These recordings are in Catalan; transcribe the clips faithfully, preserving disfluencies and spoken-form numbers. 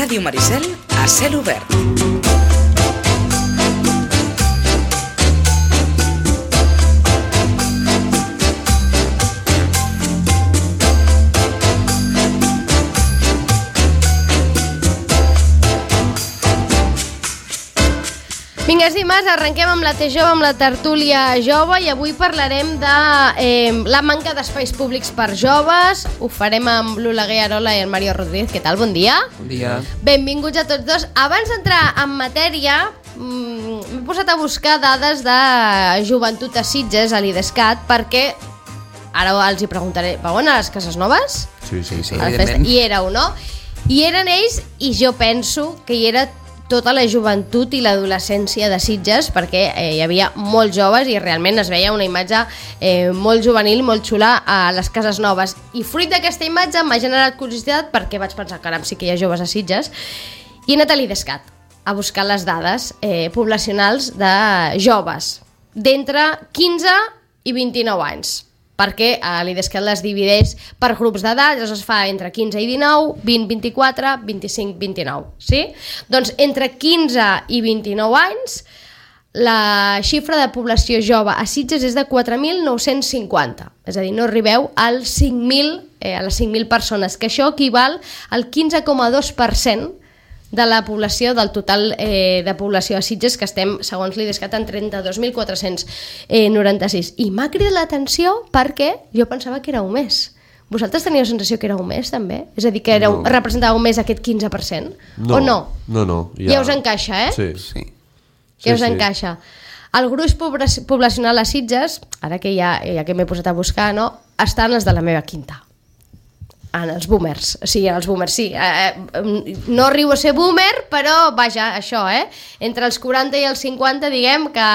Ràdio Maricel a cel obert. Vinga, és dimarts, arrenquem amb la T Jove, amb la tertúlia jove, i avui parlarem de eh, la manca d'espais públics per joves. Ho farem amb l'Oleguer Arola i el Mario Rodríguez. Què tal? Bon dia. Bon dia. Benvinguts a tots dos. Abans d'entrar en matèria, m'he posat a buscar dades de joventut a Sitges, a l'Idescat, perquè ara els hi preguntaré, vau anar a les Cases Noves? Sí, sí, sí, evidentment. I éreu, no? I eren ells, i jo penso que hi era tota la joventut i l'adolescència de Sitges, perquè eh, hi havia molts joves i realment es veia una imatge eh, molt juvenil, molt xula a les Cases Noves. I fruit d'aquesta imatge m'ha generat curiositat, perquè vaig pensar, caram, sí que hi ha joves a Sitges, i he anat a l'Idescat a buscar les dades eh, poblacionals de joves d'entre quinze i vint-i-nou anys, perquè a l'Idescat les divideix per grups d'edat, llavors es fa entre quinze i dinou, vint, vint-i-quatre, vint-i-cinc, vint-i-nou, sí? Doncs entre quinze i vint-i-nou anys, la xifra de població jove a Sitges és de quatre mil nou-cents cinquanta, és a dir, no arribeu als cinc mil, eh, a les cinc mil persones, que això equival al quinze coma dos per cent de la població, del total eh, de població a Sitges, que estem, segons l'Idescat, en trenta-dos mil quatre-cents noranta-sis. I m'ha cridat l'atenció perquè jo pensava que éreu més. Vosaltres teníeu la sensació que éreu més, també? És a dir, que éreu, no. representàveu més aquest quinze per cent? No, o no? No, no. Ja, ja us encaixa, eh? Sí, sí. Ja sí, us encaixa. Sí. El gruix poblacional a Sitges, ara que ja, ja que m'he posat a buscar, no, estan els de la meva quinta. En els boomers, sí, en els boomers, sí. Eh, no arribo a ser boomer, però, vaja, això, eh? Entre els quaranta i els cinquanta, diguem que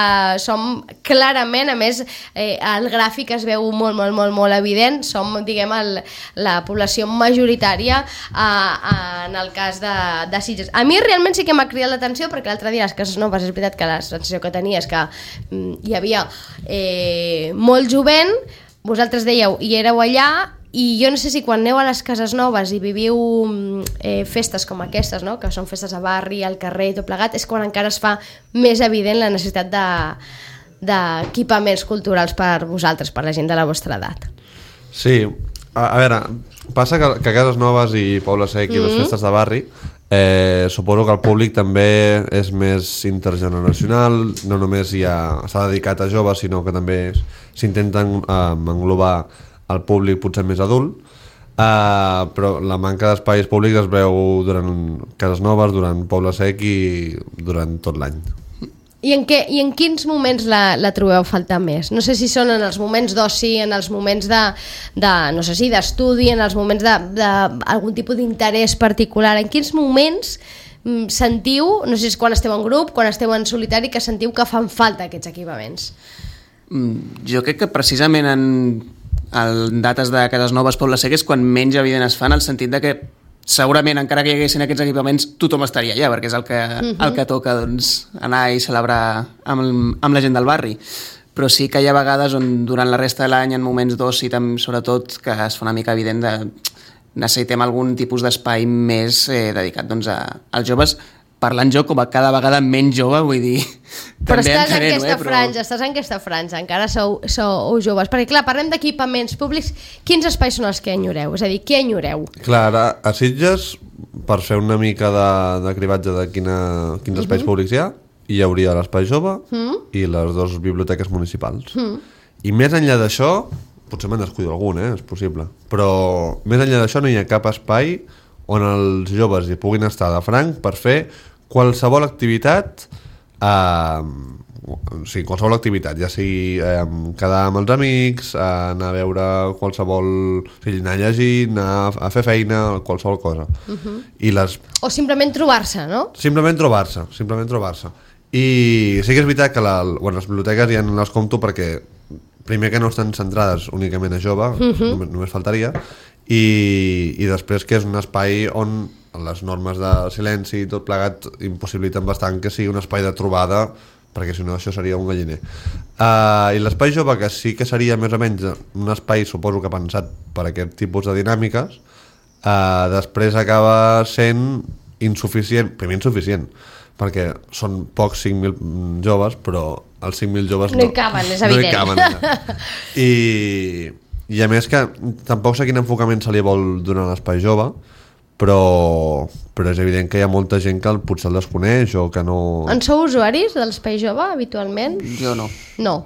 som clarament, a més, eh, el gràfic es veu molt, molt, molt, molt evident, som, diguem, el, la població majoritària eh, en el cas de, de Sitges. A mi realment sí que m'ha cridat l'atenció, perquè l'altre dia a les Cases Noves és veritat que la sensació que tenia és que mm, hi havia eh, molt jovent, vosaltres dèieu, i éreu allà, i jo no sé si quan aneu a les Cases Noves i viviu eh, festes com aquestes, no? Que són festes a barri, al carrer i tot plegat, és quan encara es fa més evident la necessitat de, d'equipaments culturals per vosaltres, per la gent de la vostra edat. Sí, a, a veure, passa que, que a Cases Noves i Poble Sec i mm-hmm. les festes de barri, eh, suposo que el públic també és més intergeneracional, no només hi ha, s'ha dedicat a joves, sinó que també s'intenten eh, englobar el públic potser més adult, uh, però la manca d'espais públics es veu durant Cases Noves, durant Poble Sec i durant tot l'any. I en, què, i en quins moments la, la trobeu faltar més? No sé si són en els moments d'oci, en els moments de, de no sé si d'estudi, en els moments d'algun tipus d'interès particular. En quins moments mm, sentiu, no sé si és quan esteu en grup, quan esteu en solitari, que sentiu que fan falta aquests equipaments? Mm, jo crec que precisament en en dates de Cases Noves, Poble Sec és quan menys evident es fan, en el sentit de que segurament encara que hi haguessin aquests equipaments tothom estaria allà, perquè és el que, uh-huh. el que toca, doncs, anar i celebrar amb, el, amb la gent del barri. Però sí que hi ha vegades on durant la resta de l'any, en moments d'oci, sobretot, que es fa una mica evident de necessitem algun tipus d'espai més eh, dedicat doncs, a, als joves, parlant jo com a cada vegada menys jove, vull dir... Però estàs en aquesta eh, però... franja, estàs en aquesta franja, encara sou, sou joves, perquè clar, parlem d'equipaments públics, quins espais són els que enyoreu? És a dir, què enyoreu? Clar, a, a Sitges, per fer una mica de, de cribatge de quina, quins uh-huh. espais públics hi ha, hi hauria l'espai jove uh-huh. i les dues biblioteques municipals. Uh-huh. I més enllà d'això, potser me'n descuido algun, eh, és possible, però més enllà d'això no hi ha cap espai on els joves hi puguin estar de franc per fer qualsevol activitat, eh, sí, qualsevol activitat, ja sigui eh, quedar amb els amics, eh, anar a veure qualsevol, o sigui, anar a llegir, anar a fer feina, qualsevol cosa. Uh-huh. I les... O simplement trobar-se, no? Simplement trobar-se, simplement trobar-se. I sí que és veritat que la, bueno, les biblioteques ja no les compto perquè primer que no estan centrades únicament a jove, uh-huh. només, només faltaria, i, i després que és un espai on les normes de silenci i tot plegat impossibiliten bastant que sigui un espai de trobada, perquè si no això seria un galliner. Uh, I l'espai jove, que sí que seria més o menys un espai, suposo que pensat per aquest tipus de dinàmiques, uh, després acaba sent insuficient, primer insuficient, perquè són pocs cinc mil joves, però els cinc mil joves no, no hi caben, és evident. No hi caben, ja. I, I a més que tampoc sé quin enfocament se li vol donar a l'espai jove, però, però és evident que hi ha molta gent que potser el desconeix o que no... En sou usuaris de l'espai jove, habitualment? Jo no. No.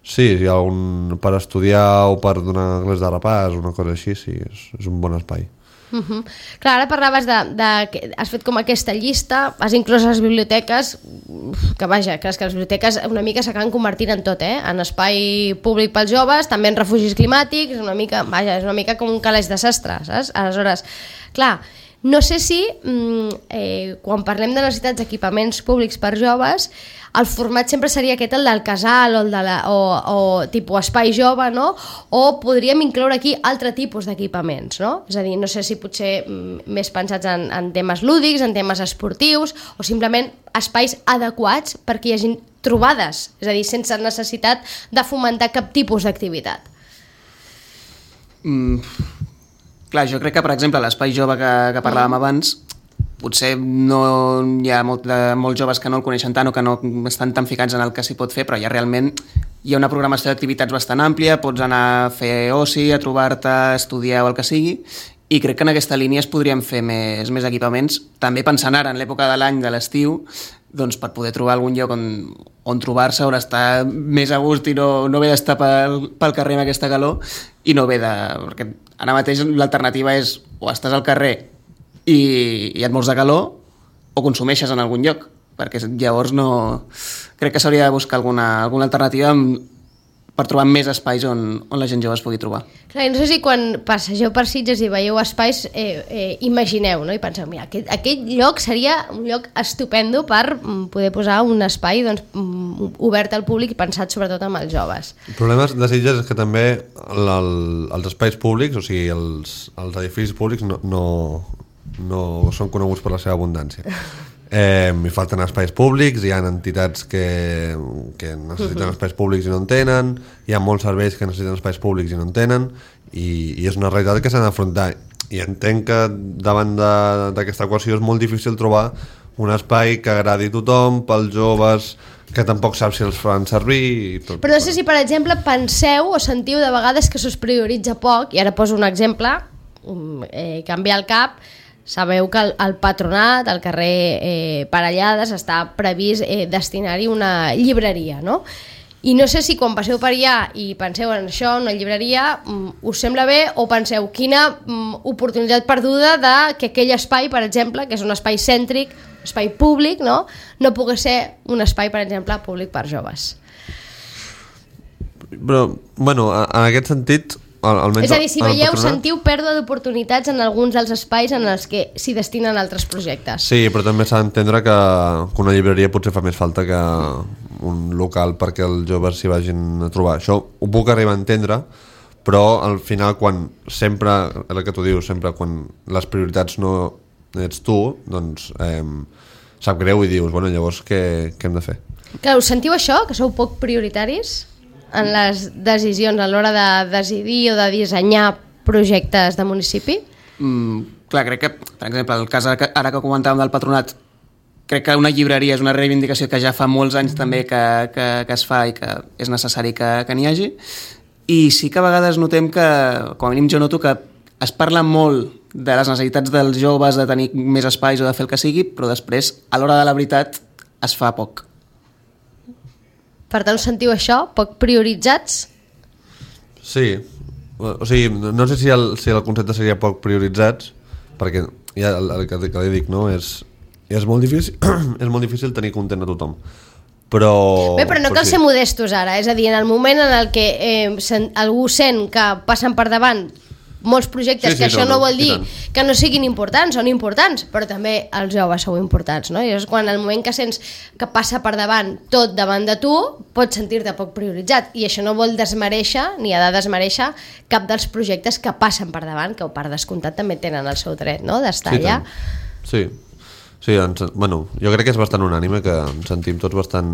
Sí, hi ha un per estudiar o per donar clars de repàs, una cosa així, sí, és, és un bon espai. Uh -huh. Clar, ara parlaves de, de... Has fet com aquesta llista, has inclòs les biblioteques, que vaja, que les, que les biblioteques una mica s'acaben convertint en tot, eh? En espai públic pels joves, també en refugis climàtics, una mica, vaja, és una mica com un calaix de sastre, saps? Aleshores, clar, no sé si eh, quan parlem de necessitats d'equipaments públics per joves, el format sempre seria aquest, el del casal o, el de la, o, o tipus espai jove, no? O podríem incloure aquí altre tipus d'equipaments, no? És a dir, no sé si potser més pensats en, en temes lúdics, en temes esportius, o simplement espais adequats perquè hi hagi trobades, és a dir, sense necessitat de fomentar cap tipus d'activitat. Mm, clar, jo crec que, per exemple, l'espai jove que, que parlàvem mm. abans, potser no hi ha molt de, molts joves que no el coneixen tant o que no estan tan ficats en el que s'hi pot fer, però ja realment hi ha una programació d'activitats bastant àmplia, pots anar a fer oci, a trobar-te, a estudiar o el que sigui, i crec que en aquesta línia es podrien fer més, més equipaments, també pensant ara en l'època de l'any de l'estiu, doncs per poder trobar algun lloc on, on trobar-se, on estar més a gust i no, no haver d'estar pel, pel carrer amb aquesta calor, i no haver de... perquè ara mateix l'alternativa és o estàs al carrer i, i et mors de calor o consumeixes en algun lloc, perquè llavors no... crec que s'hauria de buscar alguna, alguna alternativa amb, per trobar més espais on, on la gent jove es pugui trobar. Clar, no sé si quan passegeu per Sitges i veieu espais eh, eh, imagineu, no? I penseu, mira, aquest, aquest lloc seria un lloc estupendo per poder posar un espai doncs, obert al públic i pensat sobretot amb els joves. El problema de Sitges és que també el, el, els espais públics, o sigui, els, els edificis públics no, no, no són coneguts per la seva abundància. Eh, hi falten espais públics, hi ha entitats que, que necessiten espais públics i no en tenen, hi ha molts serveis que necessiten espais públics i no en tenen, i, i és una realitat que s'ha d'afrontar, i entenc que davant d'aquesta equació és molt difícil trobar un espai que agradi a tothom, pels joves que tampoc saps si els fan servir i tot. Però no sé si, per exemple, penseu o sentiu de vegades que se'ls prioritza poc, i ara poso un exemple eh, que em ve al cap. Sabeu que el, el Patronat, al carrer eh, Parellades, està previst eh, destinar-hi una llibreria, no? I no sé si quan passeu per allà i penseu en això, una llibreria, us sembla bé o penseu quina oportunitat perduda de que aquell espai, per exemple, que és un espai cèntric, espai públic, no? No pugui ser un espai, per exemple, públic per joves. Però, bueno, en aquest sentit... Almenys és a dir, si veieu, patronat... sentiu pèrdua d'oportunitats en alguns dels espais en els que s'hi destinen altres projectes. Sí, però també s'ha d'entendre que, que una llibreria potser fa més falta que un local perquè els joves s'hi vagin a trobar. Això ho puc arribar a entendre, però al final quan sempre, el que tu dius, sempre quan les prioritats no ets tu, doncs eh, sap greu i dius, bueno, llavors què, què hem de fer? Clar, us sentiu això, que sou poc prioritaris en les decisions a l'hora de decidir o de dissenyar projectes de municipi? Mm, clar, crec que, per exemple, el cas ara que comentàvem del Patronat, crec que una llibreria és una reivindicació que ja fa molts anys també que, que, que es fa i que és necessari que, que n'hi hagi, i sí que a vegades notem que, com a mínim jo noto que es parla molt de les necessitats dels joves de tenir més espais o de fer el que sigui, però després, a l'hora de la veritat, es fa poc. Per tant, sentiu això? Poc prioritzats? Sí. O sigui, no sé si el, si el concepte seria poc prioritzats, perquè ja el, el que, que li dic, no? És, és, molt difícil, és molt difícil tenir content a tothom. Però... Bé, però no cal sí. ser modestos ara. És a dir, en el moment en el que eh, sen, algú sent que passen per davant molts projectes, sí, sí, que això no, no vol dir que no siguin importants, són importants, però també els joves sou importants, no? I és quan el moment que sents que passa per davant tot davant de tu, pots sentir-te poc prioritzat, i això no vol desmereixer, ni ha de desmereixer cap dels projectes que passen per davant, que per descomptat també tenen el seu dret, no?, d'estar sí, allà. Sí, sí, ens, bueno, jo crec que és bastant unànime que ens sentim tots bastant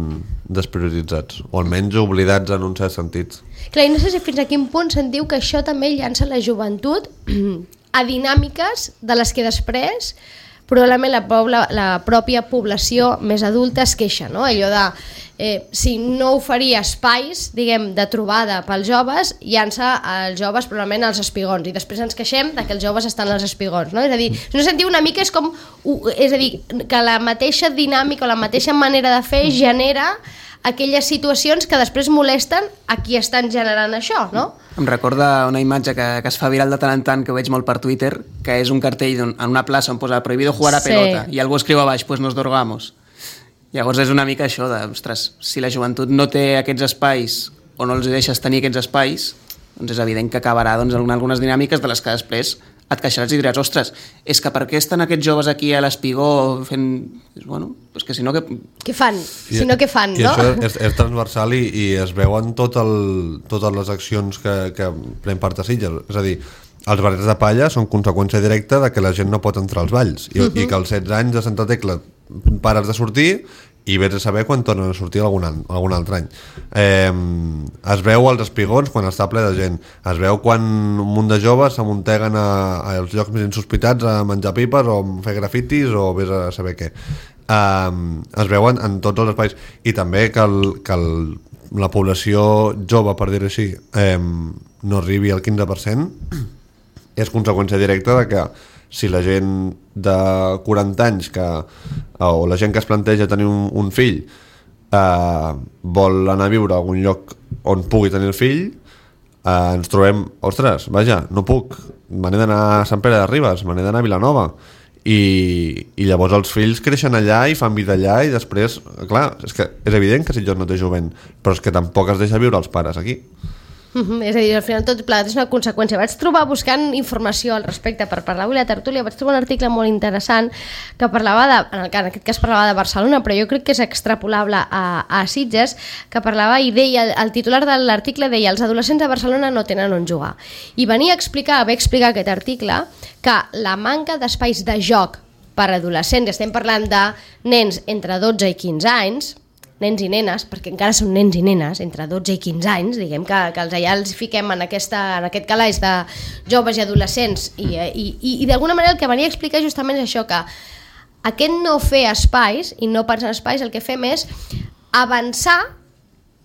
desprioritzats, o almenys oblidats en un cert sentit. Clar, i no sé si fins a quin punt sentiu que això també llança la joventut a dinàmiques de les que després probablement la, pobla, la pròpia població més adulta es queixa, no? Allò de eh, si no oferia espais, diguem, de trobada pels joves, llança els joves probablement als espigons, i després ens queixem de que els joves estan als espigons, no? És a dir, si no sentiu una mica és com, és a dir, que la mateixa dinàmica o la mateixa manera de fer genera aquelles situacions que després molesten a qui estan generant això, no? Em recorda una imatge que, que es fa viral de tant en tant, que ho veig molt per Twitter, que és un cartell en una plaça on posa prohibido jugar a pelota, sí. I algú escriu a baix, pues nos drogamos. Llavors és una mica això de, ostres, si la joventut no té aquests espais o no els deixes tenir aquests espais, doncs és evident que acabarà doncs, en algunes dinàmiques de les que després et queixaràs i diràs, ostres, és que per què estan aquests joves aquí a l'espigó fent... Bueno, doncs que si no... Que... Què fan? Si no, què fan, I no? això és, és transversal i, i es veuen tot el, totes les accions que, que pren part a Sitges. És a dir, els barrets de palla són conseqüència directa de que la gent no pot entrar als balls i, uh-huh. i que als setze anys de Santa Tecla pares de sortir i vés a saber quan tornen a sortir algun, any, algun altre any. Eh, es veu als espigons quan està ple de gent, es veu quan un munt de joves s'amunteguen a, als llocs més insospitats a menjar pipes o a fer grafitis o vés a saber què. Eh, es veuen en tots els espais i també que, el, que el, la població jove, per dir-ho així, eh, no arribi al quinze per cent és conseqüència directa de que si la gent de quaranta anys que, o la gent que es planteja tenir un, un fill eh, vol anar a viure a algun lloc on pugui tenir el fill, eh, ens trobem, ostres, vaja, no puc, me n'he d'anar a Sant Pere de Ribes, me n'he d'anar a Vilanova, i, i llavors els fills creixen allà i fan vida allà i després, clar, és que és evident que Sitges no té jovent, però és que tampoc es deixa viure els pares aquí. Uh-huh. És a dir, al final tot plegat és una conseqüència. Vaig trobar, buscant informació al respecte per parlar avui a la tertúlia, vaig trobar un article molt interessant que parlava de, en, el, en aquest cas parlava de Barcelona, però jo crec que és extrapolable a, a Sitges, que parlava i deia, el titular de l'article deia els adolescents de Barcelona no tenen on jugar, i venia a explicar, a explicar aquest article que la manca d'espais de joc per adolescents, estem parlant de nens entre dotze i quinze anys, nens i nenes, perquè encara són nens i nenes, entre dotze i quinze anys, diguem que, que els allà els fiquem en, aquesta, en aquest calaix de joves i adolescents, i, i, i, i d'alguna manera el que venia a explicar justament és això, que aquest no fer espais, i no pensar en espais, el que fem és avançar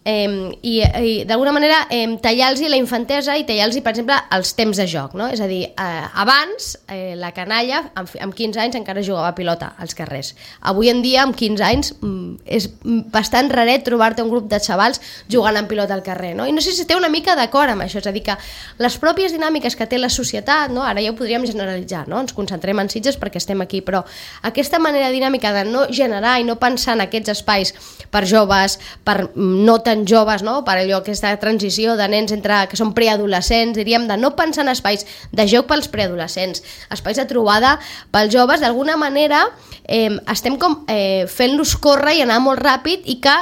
eh, i, i d'alguna manera eh, tallar-los la infantesa i tallar-los, per exemple, els temps de joc, no? És a dir, eh, abans eh, la canalla amb, amb quinze anys encara jugava a pilota als carrers. Avui en dia, amb quinze anys, mm, és bastant raret trobar-te un grup de xavals jugant en pilota al carrer, no? I no sé si té una mica d'acord amb això, és a dir, que les pròpies dinàmiques que té la societat, no? Ara ja ho podríem generalitzar, no? Ens concentrem en Sitges perquè estem aquí, però aquesta manera dinàmica de no generar i no pensar en aquests espais per joves, per no tan joves, no? Per allò, aquesta transició de nens entre, que són preadolescents, diríem, de no pensar en espais de joc pels preadolescents, espais de trobada pels joves, d'alguna manera eh, estem com eh, fent-los córrer i anar molt ràpid i que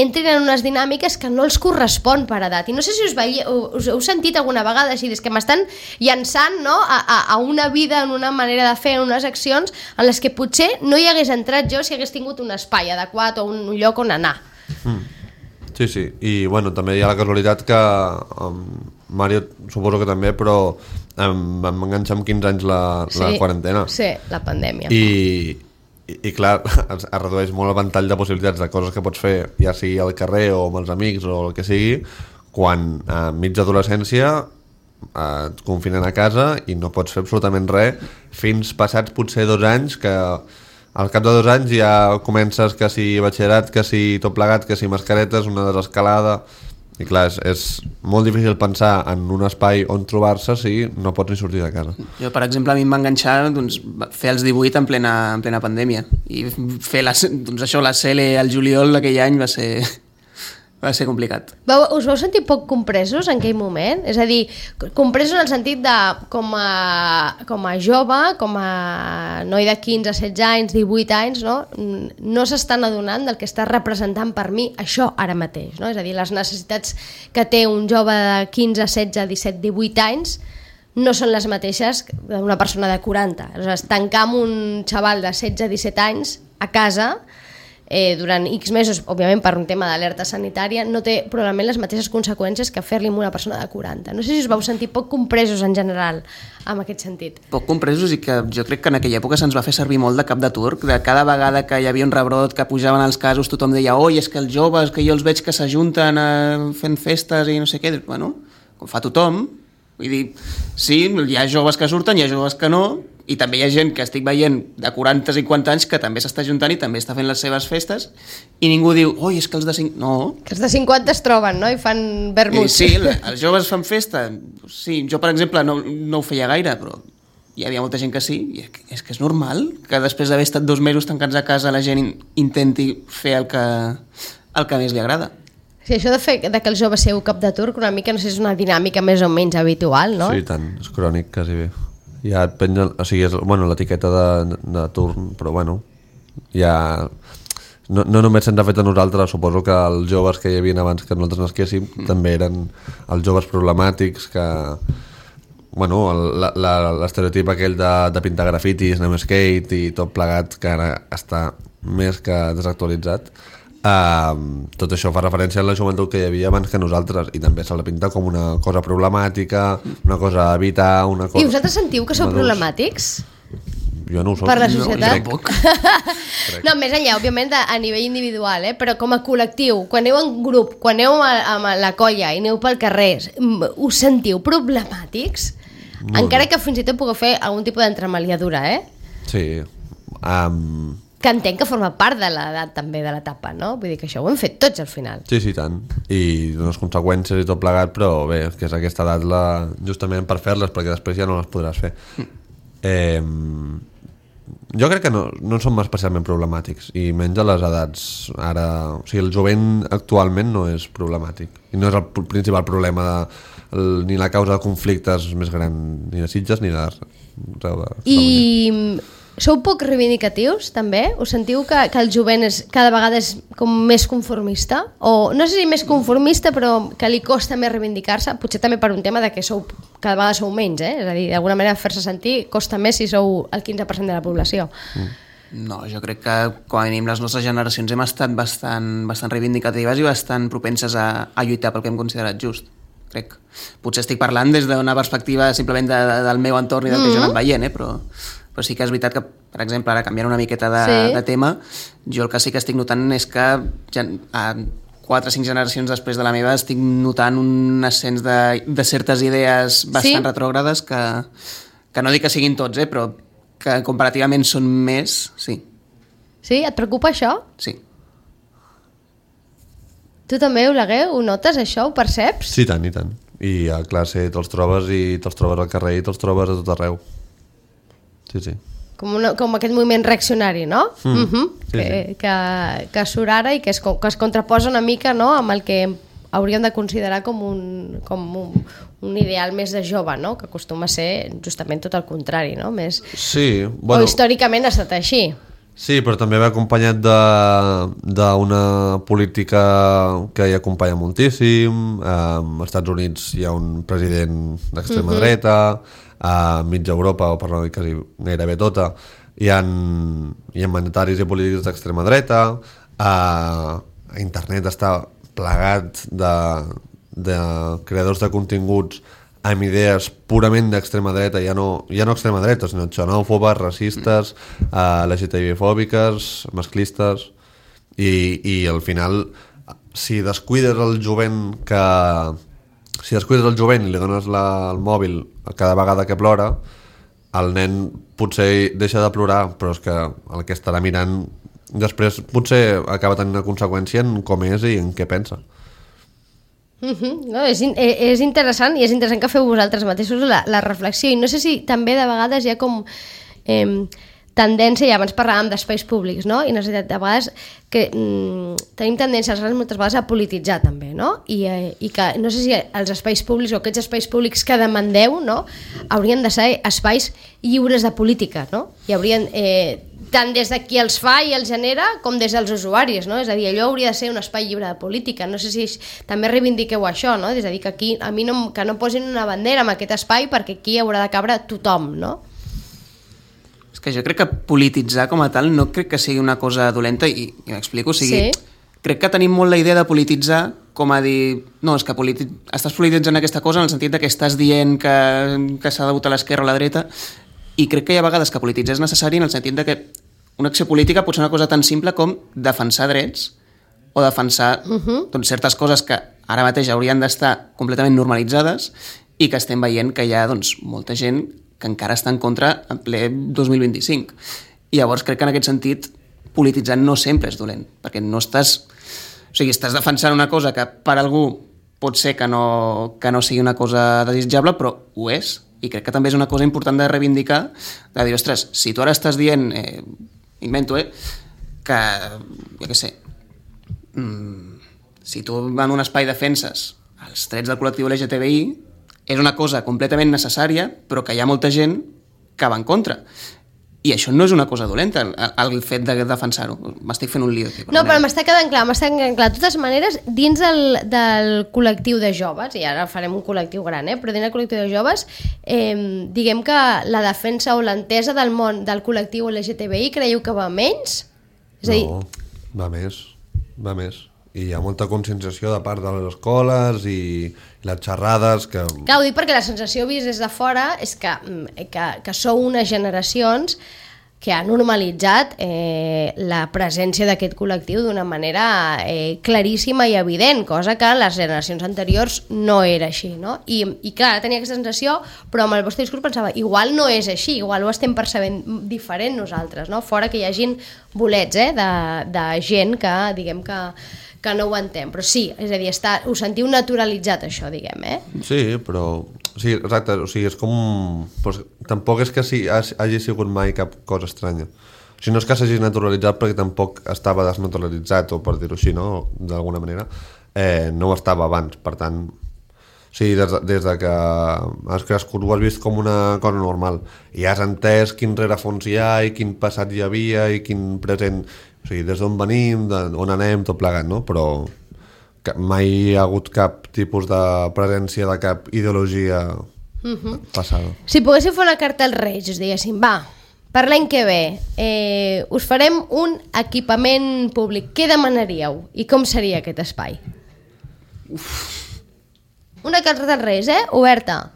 entrin en unes dinàmiques que no els correspon per edat. I no sé si us, veie, us heu sentit alguna vegada així, és que m'estan llançant, no? a, a, a una vida, en una manera de fer, en unes accions en les que potser no hi hagués entrat jo si hagués tingut un espai adequat o un lloc on anar. Mm. Sí, sí, i bueno, també hi ha la casualitat que um, Mario suposo que també, però um, vam enganxar amb quinze anys la, sí, la quarantena. Sí, la pandèmia. I, i, i clar, es, es redueix molt el ventall de possibilitats de coses que pots fer, ja sigui al carrer o amb els amics o el que sigui, quan a mig d'adolescència eh, et confinen a casa i no pots fer absolutament res fins passats potser dos anys que... Al cap de dos anys ja comences que si batxillerat, que si tot plegat, que si mascaretes, una desescalada... I clar, és, és molt difícil pensar en un espai on trobar-se si no pots ni sortir de casa. Jo, per exemple, a mi em va enganxar doncs, fer els divuit en plena, en plena pandèmia. I fer la, doncs això, la C L al juliol d'aquell any va ser... va ser complicat. Vau, us vau sentir poc compresos en aquell moment? És a dir, compresos en el sentit de com a, com a jove, com a noi de quinze, setze anys, divuit anys, no, no s'estan adonant del que està representant per mi això ara mateix, no? És a dir, les necessitats que té un jove de quinze, setze, disset, divuit anys no són les mateixes d'una persona de quaranta. Aleshores, tancar amb un xaval de setze, disset anys a casa eh, durant X mesos, òbviament per un tema d'alerta sanitària, no té probablement les mateixes conseqüències que fer-li amb una persona de quaranta. No sé si us vau sentir poc compresos en general en aquest sentit. Poc compresos, i que jo crec que en aquella època se'ns va fer servir molt de cap de turc, de cada vegada que hi havia un rebrot, que pujaven els casos, tothom deia, oi, és que els joves, que jo els veig que s'ajunten eh, fent festes i no sé què, bueno, com fa tothom. Vull dir, sí, hi ha joves que surten, hi ha joves que no, i també hi ha gent que estic veient de quaranta i cinquanta anys que també s'està juntant i també està fent les seves festes, i ningú diu, oi, és que els de cinquanta... No. Que els de cinquanta es troben, no?, i fan vermut. Sí, els joves fan festa. Sí, jo, per exemple, no, no ho feia gaire, però hi havia molta gent que sí, i és que és normal que després d'haver estat dos mesos tancats a casa la gent intenti fer el que, el que més li agrada. Sí, això de, fer, de que el jove seu cap de turc, una mica, no sé, és una dinàmica més o menys habitual, no? Sí, tant, és crònic, quasi bé. Ja et pengen, o sigui, és bueno, l'etiqueta de, de turn, però bueno, ja... No, no només se'ns ha fet a nosaltres, suposo que els joves que hi havia abans que nosaltres nasquéssim mm. també eren els joves problemàtics que... Bueno, l'estereotip aquell de, de pintar grafitis, anar amb skate i tot plegat, que ara està més que desactualitzat. Uh, tot això fa referència a la joventut que hi havia abans que nosaltres, i també se la pinta com una cosa problemàtica, una cosa a evitar, una cosa... I vosaltres sentiu que sou problemàtics? Jo no ho soc. Per la societat? No, no, més enllà, òbviament, a, a nivell individual, eh? Però com a col·lectiu, quan aneu en grup, quan aneu a, a la colla i aneu pel carrer, us sentiu problemàtics? No, encara no. Que fins i tot pugueu fer algun tipus d'entremaliadura, eh? Sí. Um... Que entenc que forma part de l'edat també, de l'etapa, no? Vull dir que això ho hem fet tots al final. Sí, sí, tant. I unes conseqüències i tot plegat, però bé, que és aquesta edat la... justament per fer-les, perquè després ja no les podràs fer. Mm. Eh, jo crec que no, no som especialment problemàtics, i menys a les edats ara... O sigui, el jovent actualment no és problemàtic. I no és el principal problema de, el, ni la causa de conflictes més gran, ni de Sitges ni de... de, de I... Sou poc reivindicatius, també? Us sentiu que, que el jovent és, cada vegada és com més conformista? O no sé si més conformista, però que li costa més reivindicar-se? Potser també per un tema de que sou, cada vegada sou menys, eh? És a dir, d'alguna manera fer-se sentir costa més si sou el quinze per cent de la població. Mm. No, jo crec que com a mínim les nostres generacions hem estat bastant, bastant reivindicatives i bastant propenses a, a lluitar pel que hem considerat just, crec. Potser estic parlant des d'una perspectiva simplement de, de, del meu entorn i del mm. que jo he anat veient, eh? però... però sí que és veritat que, per exemple, ara canviant una miqueta de, sí. de tema, jo el que sí que estic notant és que ja, a quatre o cinc generacions després de la meva estic notant un ascens de, de certes idees bastant sí? retrògrades que, que no dic que siguin tots, eh, però que comparativament són més, sí. Sí? Et preocupa això? Sí. Tu també, Oleguer, ho notes, això? Ho perceps? Sí, tant, i tant. I a classe te'ls trobes i te'ls trobes al carrer i te'ls trobes a tot arreu. Sí, sí. Com, una, com aquest moviment reaccionari, no? Mm. Uh-huh. Sí, que, sí. que, que surt ara i que es, que es contraposa una mica, no?, amb el que hauríem de considerar com un, com un, un ideal més de jove, no?, que acostuma a ser justament tot el contrari, no? Més... Sí, bueno... O històricament ha estat així. Sí, però també va acompanyat d'una política que hi acompanya moltíssim. Als Estats Units hi ha un president d'extrema uh-huh. dreta, a mitja Europa, o per no dir quasi gairebé tota, hi ha, hi ha mandataris i polítics d'extrema dreta, a, a internet està plegat de, de creadors de continguts amb idees purament d'extrema dreta, ja no, ja no extrema dreta, sinó xenòfobes, racistes, uh, L G T B-fòbiques, masclistes, i, i al final, si descuides el jovent que... Si descuides el jovent i li dones la, el mòbil cada vegada que plora, el nen potser deixa de plorar, però és que el que estarà mirant després potser acaba tenint una conseqüència en com és i en què pensa. Uh-huh. No, és, és interessant, i és interessant que feu vosaltres mateixos la, la reflexió, i no sé si també de vegades hi ha com eh, tendència, i abans parlàvem d'espais públics, no? I necessitat de vegades que mm, tenim tendència moltes vegades a polititzar també, no? I, eh, i que no sé si els espais públics o aquests espais públics que demandeu, no?, haurien de ser espais lliures de política, no? I haurien... Eh, tant des de qui els fa i els genera com des dels usuaris, no? És a dir, allò hauria de ser un espai lliure de política. No sé si també reivindiqueu això, no? És a dir, que aquí a mi no, que no posin una bandera en aquest espai perquè aquí haurà de cabre tothom, no? És que jo crec que polititzar com a tal no crec que sigui una cosa dolenta, i, i m'explico, o sigui, Sí. crec que tenim molt la idea de polititzar com a dir, no, és que politi... estàs polititzant aquesta cosa en el sentit de que estàs dient que, que s'ha de votar a l'esquerra o a la dreta, i crec que hi ha vegades que polititzar és necessari en el sentit de que una acció política pot ser una cosa tan simple com defensar drets o defensar uh -huh. doncs, certes coses que ara mateix haurien d'estar completament normalitzades i que estem veient que hi ha doncs, molta gent que encara està en contra en ple dos mil vint-i-cinc. I llavors crec que en aquest sentit polititzar no sempre és dolent, perquè no estàs... O sigui, estàs defensant una cosa que per algú pot ser que no, que no sigui una cosa desitjable, però ho és. I crec que també és una cosa important de reivindicar, de dir, ostres, si tu ara estàs dient, eh, invento, eh, que, jo què sé, mm, si tu en un espai defenses els drets del col·lectiu L G T B I, és una cosa completament necessària, però que hi ha molta gent que va en contra. I això no és una cosa dolenta, el, el fet de defensar-ho. M'estic fent un lío aquí. No, però m'està quedant clar, m'està quedant clar. De totes maneres, dins del, del col·lectiu de joves, i ara farem un col·lectiu gran, eh? Però dins del col·lectiu de joves, eh, diguem que la defensa o l'entesa del món del col·lectiu L G T B I creieu que va menys? És a dir... No, va més, va més. I hi ha molta conscienciació de part de les escoles i les xerrades que... Clar, ho dic perquè la sensació vist des de fora és que, que, que sou unes generacions que ha normalitzat eh, la presència d'aquest col·lectiu d'una manera eh, claríssima i evident, cosa que en les generacions anteriors no era així, no? I, i clar, tenia aquesta sensació, però amb el vostre discurs pensava, igual no és així, igual ho estem percebent diferent nosaltres, no? Fora que hi hagin bolets, eh, de, de gent que, diguem que que no ho entén, però sí, és a dir, està, ho sentiu naturalitzat això, diguem, eh? Sí, però... Sí, exacte, o sigui, és com... Pues, tampoc és que sí, hagi sigut mai cap cosa estranya. O sigui, no és que s'hagi naturalitzat perquè tampoc estava desnaturalitzat, o per dir-ho així, no?, d'alguna manera. Eh, no ho estava abans, per tant... O sigui, des de, des de que has crescut ho has vist com una cosa normal i has entès quin rerefons hi ha i quin passat hi havia i quin present... O sigui, des d'on venim, d'on anem, tot plegat, no? Però mai hi ha hagut cap tipus de presència de cap ideologia uh-huh. passada. Si poguéssiu fer una carta als Reis, us diguéssim, va, per l'any que ve eh, us farem un equipament públic, què demanaríeu? I com seria aquest espai? Uf. Una carta als Reis, eh? Oberta.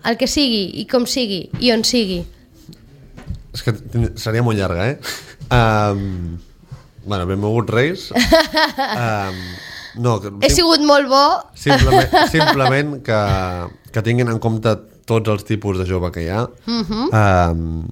El que sigui, i com sigui, i on sigui. És que seria molt llarga, eh? Um... Bueno, benvolgut Reis. um, no, He sim... sigut molt bo. Simplement, simplement que, que tinguin en compte tots els tipus de jove que hi ha. Uh-huh. um,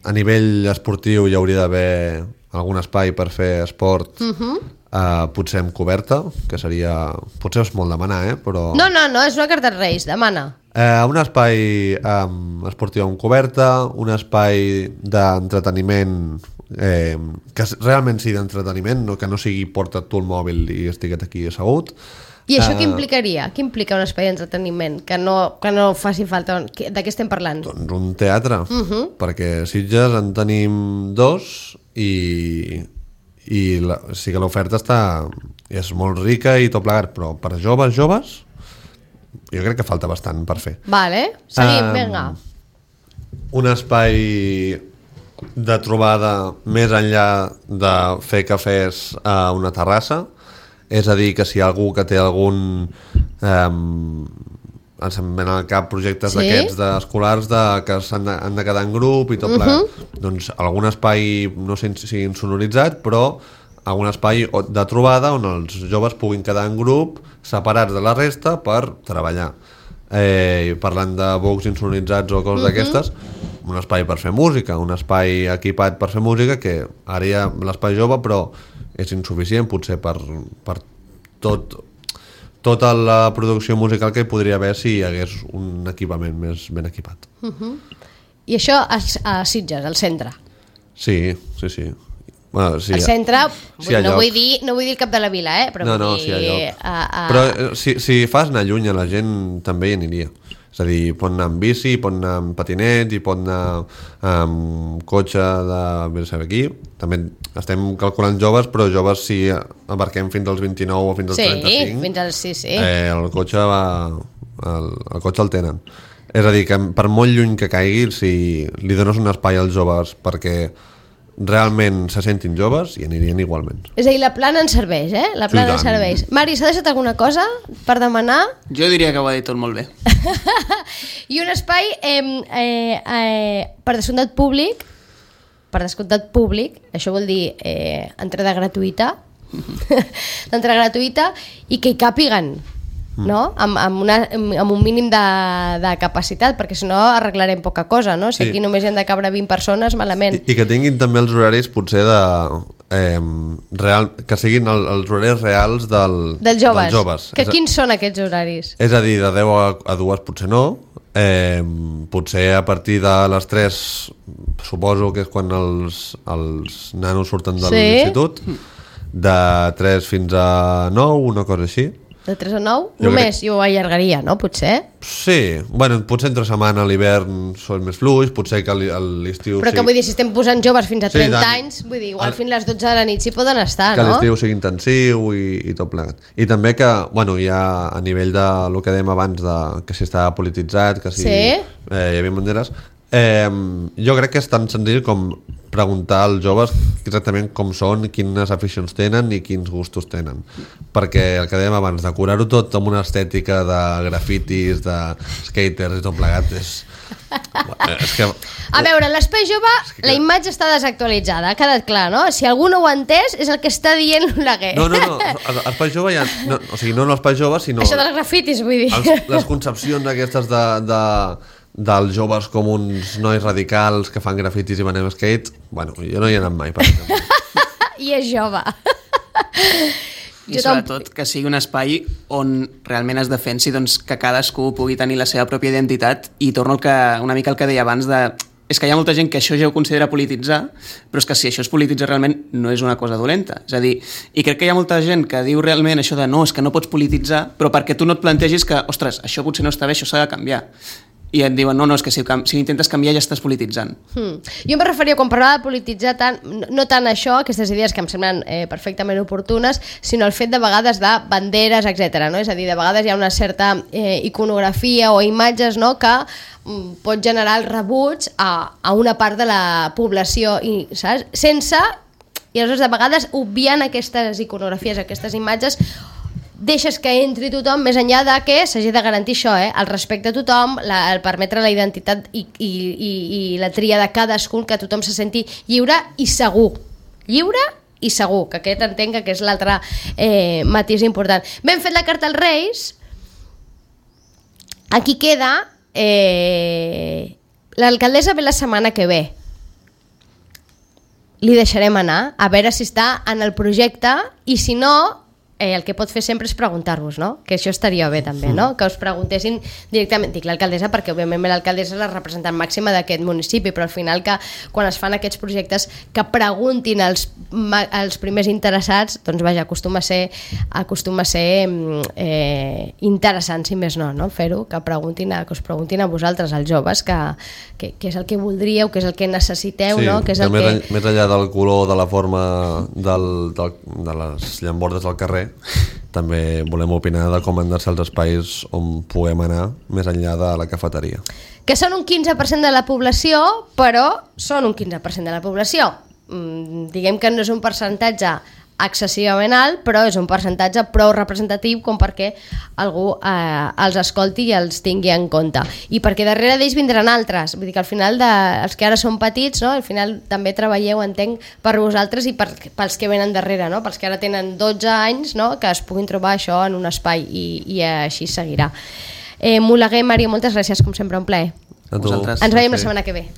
a nivell esportiu hi hauria d'haver algun espai per fer esport, uh-huh. uh, potser amb coberta, que seria... Potser és molt demanar, eh? Però... No, no, no, és una carta als Reis, demana. Uh, un espai um, esportiu amb coberta, un espai d'entreteniment eh, que realment sigui d'entreteniment, no, que no sigui porta't tu el mòbil i estiguet aquí assegut. I això uh, què implicaria? Què implica un espai d'entreteniment? Que no, que no faci falta... De què estem parlant? Doncs un teatre, uh-huh. perquè a Sitges en tenim dos i, i la, sí que l'oferta està és molt rica i tot plegat, però per joves, joves jo crec que falta bastant per fer. Vale, seguim, um, vinga. Un espai de trobada més enllà de fer cafès a una terrassa, és a dir, que si hi ha algú que té algun um, ens en ven al cap projectes sí? d'aquests d'escolars de, que s'han de, han de quedar en grup i tot plegat, uh-huh. doncs algun espai, no sé si insonoritzat, però algun espai de trobada on els joves puguin quedar en grup separats de la resta per treballar. Eh, parlant de bocs insonoritzats o coses uh-huh. d'aquestes, un espai per fer música, un espai equipat per fer música, que ara hi ha l'espai jove, però és insuficient potser per, per tot, tota la producció musical que hi podria haver si hi hagués un equipament més ben equipat. Uh-huh. I això a, a Sitges, al centre? Sí, sí, sí. Bueno, sí, al centre, sí, no, vull dir, no vull dir el cap de la vila, eh? Però no, no, vull dir, sí, a, a... Però si, si fas anar lluny a la gent també hi aniria. És a dir, pot anar amb bici, pot anar amb patinet i pot anar amb cotxe de no sé aquí. També estem calculant joves, però joves si abarquem fins als vint-i-nou o fins als sí, trenta-cinc. Fins als, sí, sí. Eh, el cotxe va, el, el cotxe el tenen. És a dir, que per molt lluny que caigui, si li dones un espai als joves perquè realment se sentin joves, i anirien igualment. És a dir, la plana ens serveix, eh? La plana Sí, ens tant. serveix. Mari, s'ha deixat alguna cosa per demanar? Jo diria que ho ha dit tot molt bé. I un espai eh, eh, eh, per descomptat públic, per descomptat públic, això vol dir eh, entrada gratuïta, l'entrada gratuïta, i que hi càpiguen, no? Amb, amb, una, amb un mínim de, de capacitat, perquè si no arreglarem poca cosa, no? Si Sí. aquí només hi han de cabre vint persones, malament. I, i que tinguin també els horaris potser de... Eh, real, que siguin el, els horaris reals del, Dels joves. dels joves. Que És a- quins són aquests horaris? És a dir, de deu a, a dues potser no, eh, potser a partir de les tres suposo que és quan els, els nanos surten de Sí. l'institut, de tres fins a nou, una cosa així. De tres a nou? Jo Només, crec- jo ho allargaria, no? Potser. Sí, bueno, potser entre setmana a l'hivern són més fluix, potser que a l'i- a l'estiu Però que sigui- vull dir, si estem posant joves fins a Sí, trenta tant. anys, vull dir, igual El- fins a les dotze de la nit s'hi poden estar, que no? l'estiu sigui intensiu i, i tot plegat. I també que, bueno, ja a nivell de lo que dèiem abans, de, que si està polititzat, que si Sí. eh, hi havia banderes, eh, jo crec que és tan senzill com preguntar als joves exactament com són, quines aficions tenen i quins gustos tenen. Perquè el que dèiem abans, decorar-ho tot amb una estètica de grafitis, de skaters i tot plegat, és... és que... A veure, l'espai jove, que- la imatge està desactualitzada, ha quedat clar, no? Si algú no ho ha entès, és el que està dient l'Oleguer. No, no, no, a l'espai jove ja... No, o sigui, no l'espai jove, sinó... Això dels grafitis, vull dir. Els, les concepcions aquestes de, de, dels joves com uns nois radicals que fan grafitis i van amb skate, bueno, jo no hi he anat mai, per exemple. I és jove. I Jo sobretot que sigui un espai on realment es defensi doncs, que cadascú pugui tenir la seva pròpia identitat, i torno al que, una mica al que deia abans de... És que hi ha molta gent que això ja ho considera polititzar, però és que si això es polititza realment no és una cosa dolenta. És a dir, i crec que hi ha molta gent que diu realment això de no, és que no pots polititzar, però perquè tu no et plantegis que, ostres, això potser no està bé, això s'ha de canviar. I et diuen, no, no, és que si, si intentes canviar ja estàs polititzant. Hmm. Jo em referia, quan parlava de polititzar, tant, no, no tant això, aquestes idees que em semblen eh, perfectament oportunes, sinó el fet de vegades de banderes, etcètera. No? És a dir, de vegades hi ha una certa eh, iconografia o imatges, no?, que mm, pot generar el rebuig a, a una part de la població, i, saps? Sense, i aleshores de vegades obviant aquestes iconografies, aquestes imatges, deixes que entri tothom, més enllà de que s'hagi de garantir això, eh? El respecte a tothom, la, el permetre la identitat i, i, i, i la tria de cadascun, que tothom se senti lliure i segur. Lliure i segur, que aquest entenc que és l'altre eh, matís important. Ben fet la carta als Reis, aquí queda eh, l'alcaldessa ve la setmana que ve. Li deixarem anar, a veure si està en el projecte, i si no, eh, el que pot fer sempre és preguntar-vos, no? Que això estaria bé també, no? Que us preguntessin directament, dic l'alcaldessa perquè òbviament l'alcaldessa és la representant màxima d'aquest municipi, però al final que quan es fan aquests projectes que preguntin als, als primers interessats, doncs vaja, acostuma a ser, acostuma a ser eh, interessant, si més no, no? Fer-ho, que, preguntin a, que us preguntin a vosaltres, als joves, que, que, que és el que voldríeu, que és el que necessiteu, Sí, no? Que és que el més, que... en, més enllà del color, de la forma del, del, de les llambordes del carrer, també volem opinar de com han de ser els espais on puguem anar més enllà de la cafeteria. Que són un quinze per cent de la població, però són un quinze per cent de la població. Mm, diguem que no és un percentatge excessivament alt, però és un percentatge prou representatiu com perquè algú eh, els escolti i els tingui en compte. I perquè darrere d'ells vindran altres. Vull dir que al final, de, els que ara són petits, no? Al final també treballeu, entenc, per vosaltres i per, pels que venen darrere, no? Pels que ara tenen dotze anys, no? Que es puguin trobar això en un espai, i, i així seguirà. Eh, Moleguer, Mario, moltes gràcies, com sempre, un plaer. A tu. Vosaltres. Ens veiem la Sí. setmana que ve.